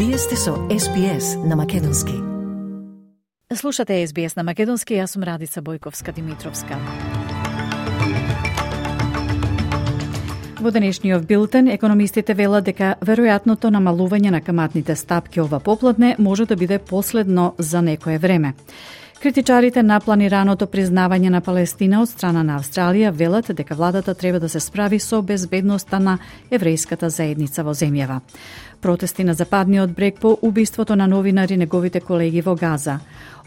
Вие сте со SBS на Македонски. Слушате SBS на Македонски, јас сум Радица Бојковска-Димитровска. Во денешниот билтен, економистите велат дека веројатното намалување на каматните стапки ова попладне може да биде последно за некое време. Критичарите на планираното признавање на Палестина од страна на Австралија велат дека владата треба да се справи со безбедноста на еврејската заедница во земјава. Протести на западниот брег по убиството на новинари неговите колеги во Газа.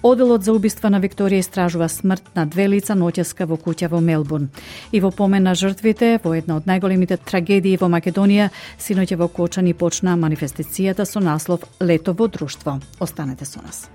Оделот за убиства на Викторија истражува смрт на 2 лица ноќеска во куќа во Мелбурн. И во помен на жртвите, во една од најголемите трагедии во Македонија, синоќа во Кочани почна манифестацијата со наслов Лето во друштво. Останете со нас.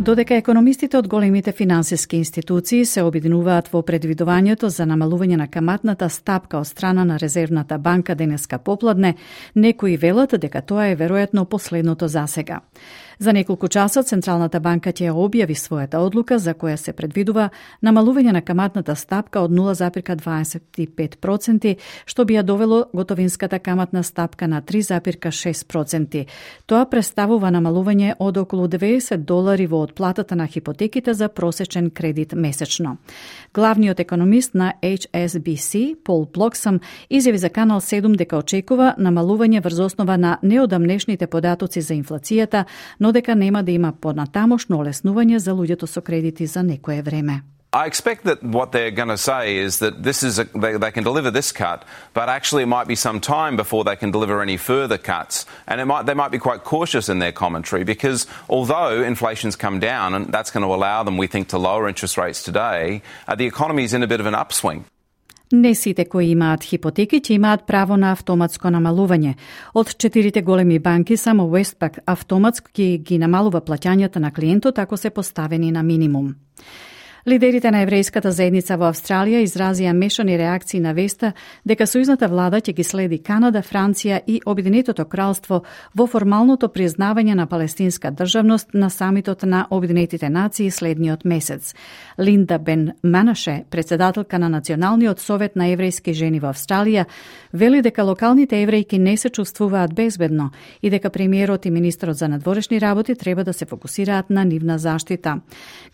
Додека економистите од големите финансиски институции се обединуваат во предвидувањето за намалување на каматната стапка од страна на Резервната банка денеска попладне, некои велат дека тоа е веројатно последното засега. За неколку часа Централната банка ќе објави својата одлука за која се предвидува намалување на каматната стапка од 0,25%, што би ја довело готовинската каматна стапка на 3,6%. Тоа представува намалување од околу $90 во одплатата на хипотеките за просечен кредит месечно. Главниот економист на HSBC, Пол Блоксам, изјави за Канал 7 дека очекува намалување врз основа на неодамнешните податоци за инфлацијата, но дека нема да има понатамошно олеснување за луѓето со кредити за некое време. I expect that what they're going to say is that they can deliver this cut, but actually it might be some time before they can deliver any further cuts. And they might be quite cautious in their commentary because although inflation's come down and that's going to allow them, we think, to lower interest rates today, the economy is in a bit of an upswing. Не сите кои имаат хипотеки ќе имаат право на автоматско намалување. Од 4 големи банки само Westpac автоматски ги намалува плаќањата на клиентот ако се поставени на минимум. Лидерите на еврејската заедница во Австралија изразија мешани реакции на веста дека сојузната влада ќе ги следи Канада, Франција и Обединетото кралство во формалното признавање на палестинска државност на самитот на Обединетите нации следниот месец. Линда Бен Манаше, председателка на Националниот совет на еврејски жени во Австралија, вели дека локалните еврејки не се чувствуваат безбедно и дека премиерот и министерот за надворешни работи треба да се фокусираат на нивна заштита.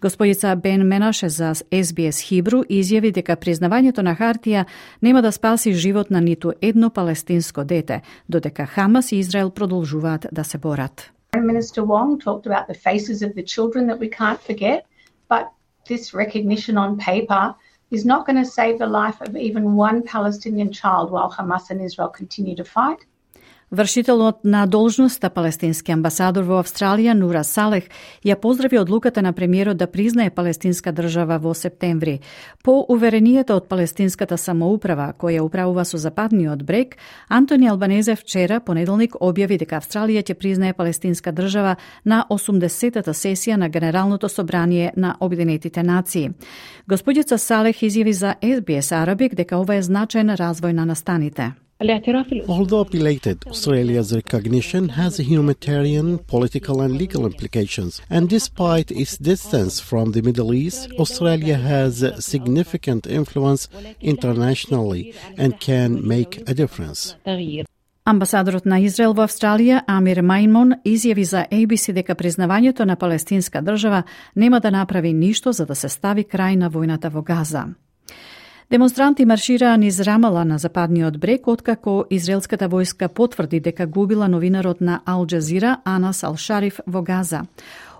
Господица Бен Манаше за SBS Хибру изјави дека признавањето на хартија нема да спаси живот на ниту едно палестинско дете, додека Хамас и Израел продолжуваат да се борат. Minister Wong talked about the faces of the children that we can't forget, but this recognition on paper is not going to save the life of even one Palestinian child while Hamas and Israel continue to fight. Вршителот на должноста палестински амбасадор во Австралија Нура Салех ја поздрави одлуката на премиерот да признае палестинска држава во септември. По уверенијата од палестинската самоуправа, која управува со западниот брег, Антони Албанезе вчера, понеделник, објави дека Австралија ќе признае палестинска држава на 80-та сесија на Генералното собрание на Обединетите нации. Господица Салех изјави за SBS Arabic дека ова е значаен развој на настаните. Although belated, Australia's recognition has humanitarian, political and legal implications. And despite its distance from the Middle East, Australia has significant influence internationally and can make a difference. Амбасадорот на Израел во Австралија, Амир Маймон, изјави за ABC дека признавањето на палестинска држава нема да направи ништо за да се стави крај на војната во Газа. Демонстранти маршираа низ Рамала на западниот брег, откако израелската војска потврди дека губила новинарот на Ал Джазира Анас Ал Шариф во Газа.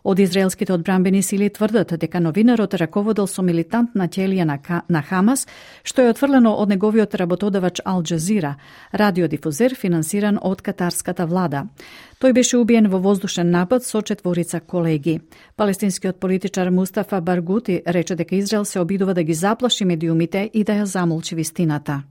Од израелските одбранбени сили тврдат дека новинарот раководел со милитантна ќелија на Хамас, што е отфрлено од неговиот работодавач Ал Джазира, радиодифузер финансиран од катарската влада. Тој беше убиен во воздушен напад со 4 колеги. Палестинскиот политичар Мустафа Баргути рече дека Израел се обидува да ги заплаши медиумите и да ја замолчи вистината.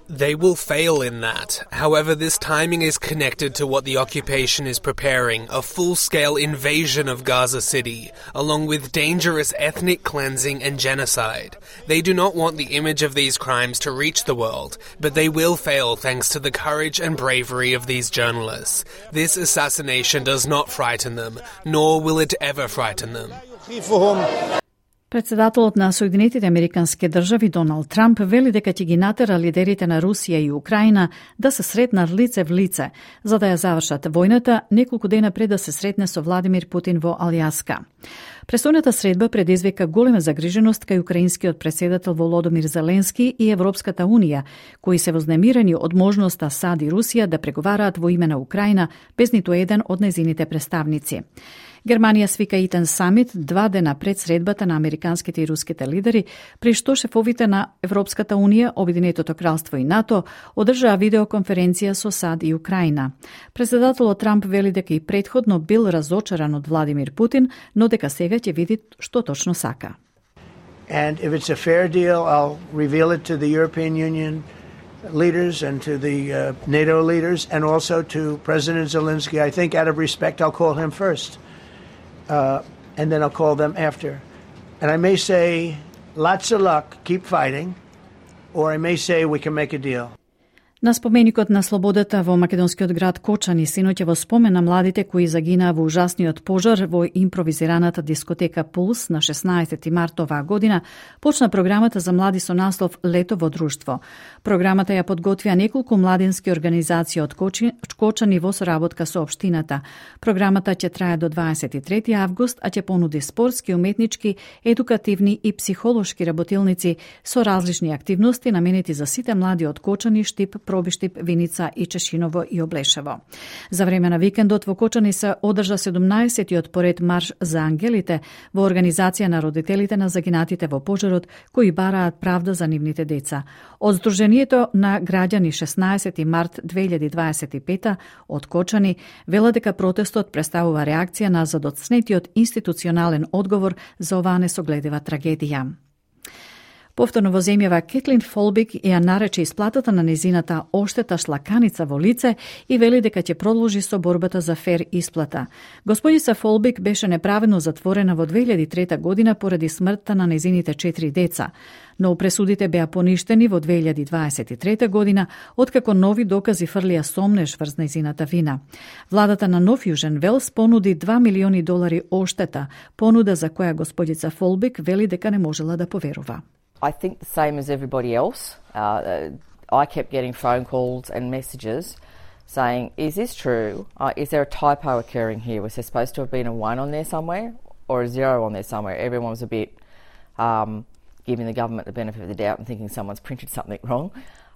They will fail in that. However, this timing is connected to what the occupation is preparing, a full-scale invasion of Gaza City, along with dangerous ethnic cleansing and genocide. They do not want the image of these crimes to reach the world, but they will fail thanks to the courage and bravery of these journalists. This assassination does not frighten them, nor will it ever frighten them. Председателот на Соединетите Американски држави Доналд Трамп вели дека ќе ги натера лидерите на Русија и Украина да се сретнат лице в лице, за да ја завршат војната неколку дена пред да се сретне со Владимир Путин во Алјаска. Престојната средба предизвика голема загриженост кај украинскиот претседател Володомир Зеленски и Европската Унија, кои се вознемирени од можноста САД и Русија да преговараат во име на Украина без ниту еден од нејзините представници. Германија свика итен самит 2 дена пред средбата на американските и руските лидери, при што шефовите на Европската Унија, Обединетото кралство и НАТО одржаа видеоконференција со САД и Украина. Председателот Трамп вели дека и претходно бил разочаран од Владимир Путин, но дека сега ќе види што точно сака. And if it's a fair deal, I'll reveal it to the European Union leaders and to the NATO leaders and also to President Zelensky. I think out of respect, I'll call him first. And then I'll call them after. And I may say, lots of luck, keep fighting, or I may say we can make a deal. На споменикот на слободата во македонскиот град Кочани синоќа во спомен на младите кои загинаа во ужасниот пожар во импровизираната дискотека Пулс на 16 март оваа година, почна програмата за млади со наслов Лето во друштво. Програмата ја подготвија неколку младински организации од Кочани во соработка со општината. Програмата ќе трае до 23 август, а ќе понуди спортски, уметнички, едукативни и психолошки работилници со различни активности наменети за сите млади од Кочани, Штип, Пробиштип, Виница и Чешиново и Облешево. За време на викендот во Кочани се одржа 17-тиот поред марш за ангелите во организација на родителите на загинатите во пожарот кои бараат правда за нивните деца. Од Сдруженијето на граѓани 16 март 2025 од Кочани велат дека протестот представува реакција на задоцнетиот институционален одговор за оваа несогледива трагедија. Повторно во земјава Кетлин Фолбик ја нарече исплатата на незината оштета шлаканица во лице и вели дека ќе продолжи со борбата за фер исплата. Господица Фолбик беше неправедно затворена во 2003 година поради смртта на незините 4 деца, но пресудите беа поништени во 2023 година, откако нови докази фрлија сомнеш врз незината вина. Владата на Нов Јужен Велс понуди $2 милиони оштета, понуда за која господица Фолбик вели дека не можела да поверува. I think the same as everybody else. I kept getting phone calls and messages saying, is this true? Is there a typo occurring here? Was there supposed to have been a 1 on there somewhere or a 0 on there somewhere? Everyone was a bit giving the government the benefit of the doubt and thinking someone's printed something wrong.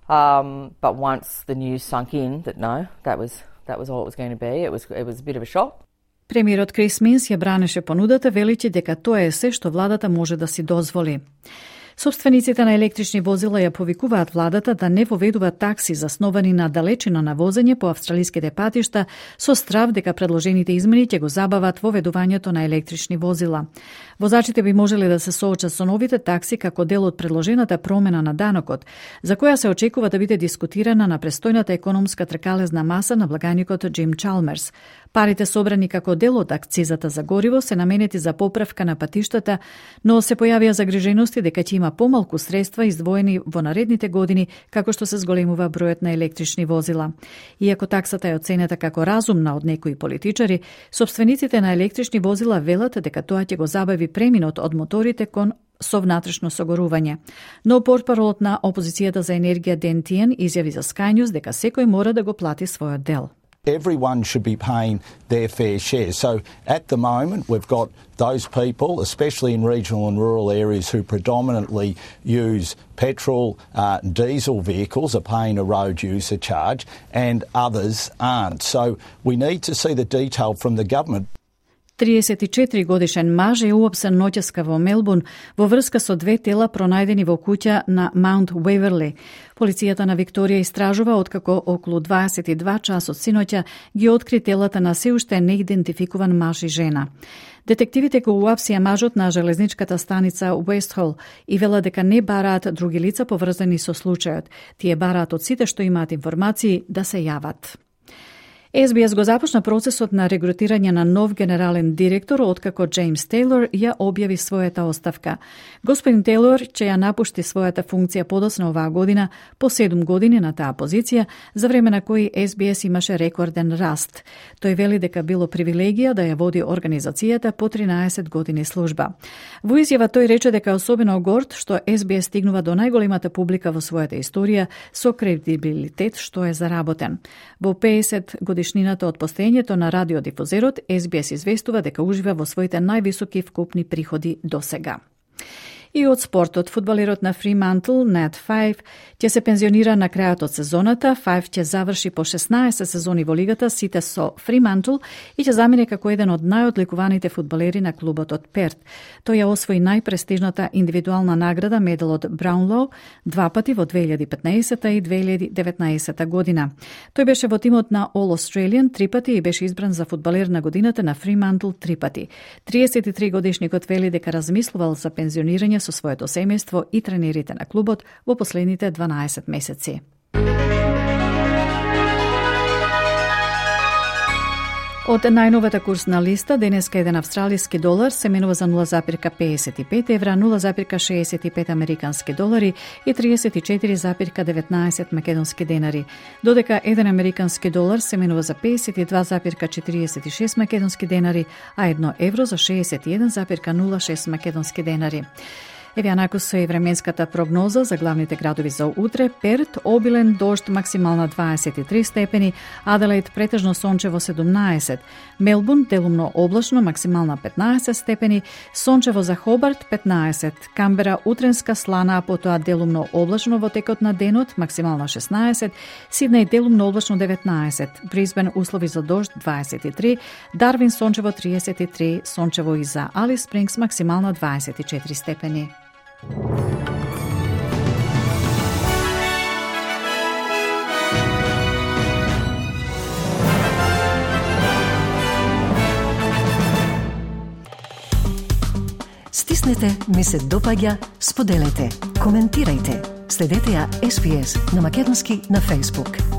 But once the news sunk in that no, that was all it was going to be, it was a bit of a shock. Премиерот Крис Минс ја бранеше понудата, величи дека тоа е се што владата може да си дозволи. Собствениците на електрични возила ја повикуваат владата да не воведува такси засновани на далечина на возење по австралиските патишта со страв дека предложените измени ќе го забават воведувањето на електрични возила. Возачите би можеле да се соочат со новите такси како дел од предложената промена на данокот, за која се очекува да биде дискутирана на престојната економска тркалезна маса на благаникот Джим Чалмерс. Парите собрани како дел од акцизата за гориво се наменети за поправка на патиштата, но се појавија загрижености дека ќе има помалку средства издвоени во наредните години како што се зголемува бројот на електрични возила. Иако таксата е оценета како разумна од некои политичари, собствениците на електрични возила велат дека тоа ќе го забави преминот од моторите кон со внатрешно согорување. Но портпаролот на опозицијата за енергија Ден Тиен изјави за Sky News дека секој мора да го плати својот дел. Everyone should be paying their fair share. So at the moment, we've got those people, especially in regional and rural areas, who predominantly use petrol, diesel vehicles, are paying a road user charge, and others aren't. So we need to see the detail from the government. 34 годишен маж е уапсен ноќеска во Мелбурн во врска со 2 тела пронајдени во куќа на Маунт Уеверли. Полицијата на Викторија истражува откако околу 22 часот синоќа ги откри телата на се уште неидентификуван маж и жена. Детективите го уапсија мажот на железничката станица Уестхол и вела дека не бараат други лица поврзани со случајот. Тие бараат од сите што имаат информации да се јават. SBS го започна процесот на регрутирање на нов генерален директор откако Джеймс Тейлор ја објави својата оставка. Господин Тейлор ќе ја напушти својата функција подоцна оваа година по 7 години на таа позиција, за време на кои SBS имаше рекорден раст. Тој вели дека било привилегија да ја води организацијата по 13 години служба. Во изјава тој рече дека е особено горд што SBS стигнува до најголемата публика во својата историја со кредибилитет што е заработен. Во 50 годишнината од постоењето на радиодифузерот, SBS известува дека ужива во своите највисоки вкупни приходи до сега. И од спортот, фудбалерот на Фримантл, Нат Фајв, ќе се пензионира на крајот од сезоната. Фајв ќе заврши по 16 сезони во лигата, сите со Фримантл, и ќе замине како еден од најодликуваните фудбалери на клубот од Перт. Тој ја освои најпрестижната индивидуална награда, медалот Браунлоу, 2 пати во 2015 и 2019 година. Тој беше во тимот на All Australian 3 пати и беше избран за фудбалер на годината на Фримантл 3 пати. 33 годишникот вели дека размислувал за пензионирање со своето семејство и тренерите на клубот во последните 12 месеци. Од најновата курсна листа, денеска еден австралиски долар се менува за 0,55 евра, 0,65 американски долари и 34,19 македонски денари, додека еден американски долар се менува за 52,46 македонски денари, а 1 евро за 61,06 македонски денари. Еве анакусо е временската прогноза за главните градови за утре. Перт, обилен дожд, максимална 23 степени, Аделаид претежно сончево 17, Мелбурн делумно облачно, максимална 15 степени, сончево за Хобарт 15, Камбера утренска слана, а потоа делумно облачно во текот на денот, максимална 16, Сиднеј делумно облачно 19, Брисбен услови за дожд 23, Дарвин сончево 33, сончево и за Алис Спрингс, максимална 24 степени. Стиснете, ми се допаѓа, споделете, коментирајте. Следете ја SBS на Македонски на Facebook.